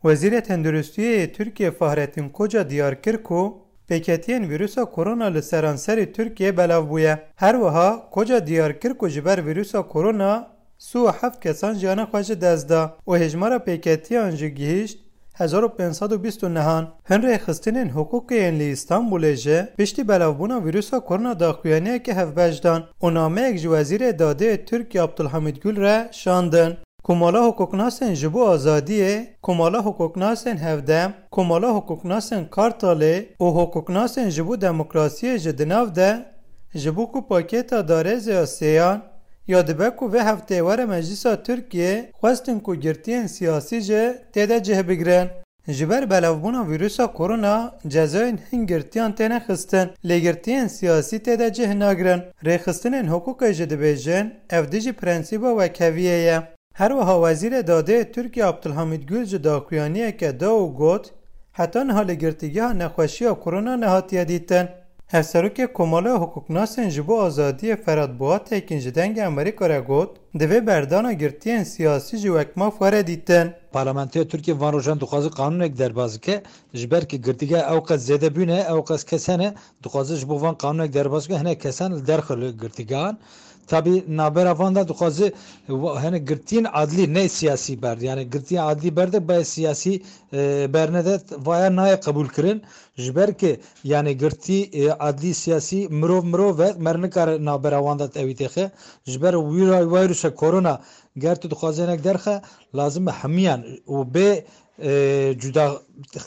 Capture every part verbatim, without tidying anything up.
Wezîrê Tenduristiyê yê Tirkiyê Fahrettin Koca diyar kir ku pêketiyên vîrusa korona li seranserî Tirkiyê belav bûye. Her wiha Koca diyar kir ku ji ber vîrusa korona sî û heft kesan jiyana xwe ji dest da û hêjmara pêketiyan jî gihîşt hezar û pênc sed û bîst û nehan. Hin rêxistinên hiqûqê yên li Îstanbulê jî piştî belavbûna vîrusa korona daxuyaniyeke hevbeş dan û nameyek ji Wezîrê Dadê yê Tirkiyê Abdulhamid Gül re şandin. Komala hiqûqnasên ji bo azadiyê, Komala hiqûqnasên Hevdem, Komala hiqûqnasên Kartalê û hiqûqnasên ji bo demokrasiyê ji di nav de ji bo ku pakêta darêzê ya sêyan ya dibe ku vê hefteyê were Meclisa Tirkiyê, xwestin ku girtiyên siyasî jî tê de cih bigrin. Ji ber belavbûna vîrusa korona cezayên hin girtiyan têne xistin, lê girtiyên siyasî tê de cih nagrin. Rêxistinên hiqûqê jî dibêjin, ev dijî prensîba wekheviyê ye. Her wiha Wezîrê Dadê yê Tirkiyê Abdulhamid Gül ji daxuyaniyeke da û got, heta niha li girtîgeha nexweşiya korona nehatiye dîtin. Hevserokê Komala Hiqûqnasên ji bo Azadiyê Ferhat Boatekin ji Dengê Amerîka re got, divê berdana girtiyên siyasî jî wek maf were dîtin. Parlamentoya Tirkiyê van rojan dixwaze qanûnek derbas bike, ji ber ku girtîgeha ew qas zêde bûne, ew qas kes hene, dixwaze ji bo van qanûnek derbas bike, hinek kesan li derxe li girtîgehan. Tabî navbera van de dixwaze wa-, hinek girtiyên adlî, ne siyasî berde. Yani girtiyên adlî berde, bayê siyasî, e, bernede, vaya nayê qebûl kirin. Ji ber ku yani girtî, e, adlî, siyasî, mirov mirov e, mer nikare navbera wan de tevî têxe. Ji ber wîra, wîrusa korona ger tu dixwaze hinek derxe, lazim e hemiyan û bê, e, cuda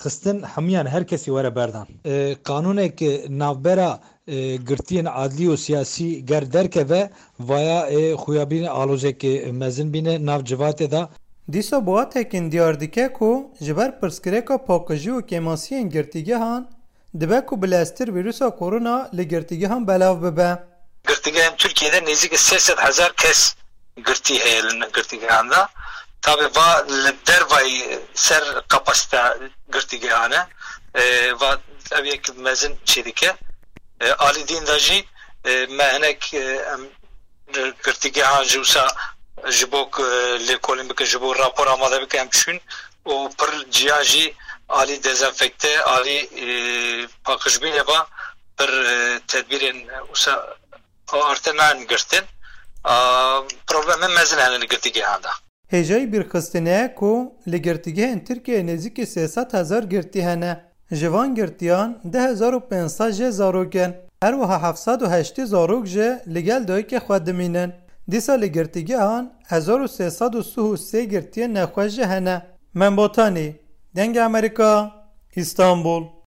xistin hemiyan her kesî were berdan. E, qanûnek navbera, e, girtiyên adlî û siyasî ger derkeve, vaya, e, xuya bîne alozeke mezin bîne nav civatê de. Dîsa Boatekin diyar dike ku ji ber pirsgirêka paqijî û kêmasiyên girtîgehan, dibe ku bileztir vîrusa korona li girtîgehan belav bibe. Girtîgehên Tirkiyê de nêzîkî sê sed hezar kes girtî heye li girtîgehan de. Tabî va li dervayî ser kapasîteya girtîgehan e. E, va ev yek mezin çê dike. E, alî din de jî, e, me hinek, e, em girtîgehan jî wisa ji bo ku, e, lêkolîn bike, ji bo rapor amade bike, em çûn û pir ciyan jî alî dezenfekte, alî, e, paqijbînê va pir, e, tedbîrên wisa arte nayên girtin. A, problemên mezin hene li girtîgehan de. Hêjayî bîrxistinê ye ku li girtîgehên Tirkiyeyê nêzîkî sê sed hezar girtî hene. Ji van girtiyan du hezar û pênc sed jê zarok in. Her wiha heft sed û heştê zarok jî li gel dayikê xwe dimînin. Dîsa li girtîgehan hezar û sê sed û sih û sê girtiyên nexweş jî hene. Mem Botanî, Dengê Amerîka, Îstanbul.